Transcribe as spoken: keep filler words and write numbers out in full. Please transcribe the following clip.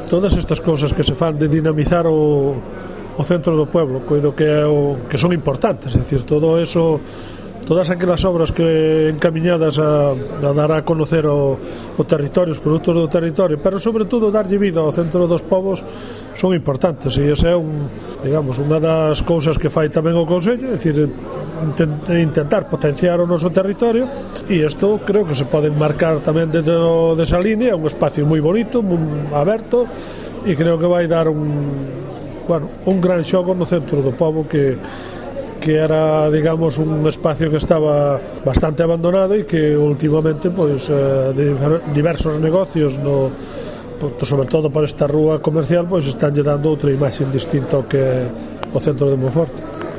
todas estas cousas que se fan de dinamizar o, o centro do pueblo, coido que, é o, que son importantes, é dicir, todo eso, todas aquelas obras que encamiñadas a, a dar a conocer o, o territorio, os produtos do territorio, pero sobre todo darlle vida ao centro dos povos son importantes, e esa é un, digamos, unha das cousas que fai tamén o Consello, é dicir, intentar potenciar o noso territorio, e isto creo que se pode marcar tamén dentro desa línea, un espacio moi bonito, moi aberto, e creo que vai dar un, bueno, un gran xogo no centro do pobo que que era, digamos, un espacio que estaba bastante abandonado e que últimamente, pois, eh, diversos negocios no, sobre todo por esta rúa comercial, pois están lle dando outra imaxe distinta ao que é o centro de Monforte.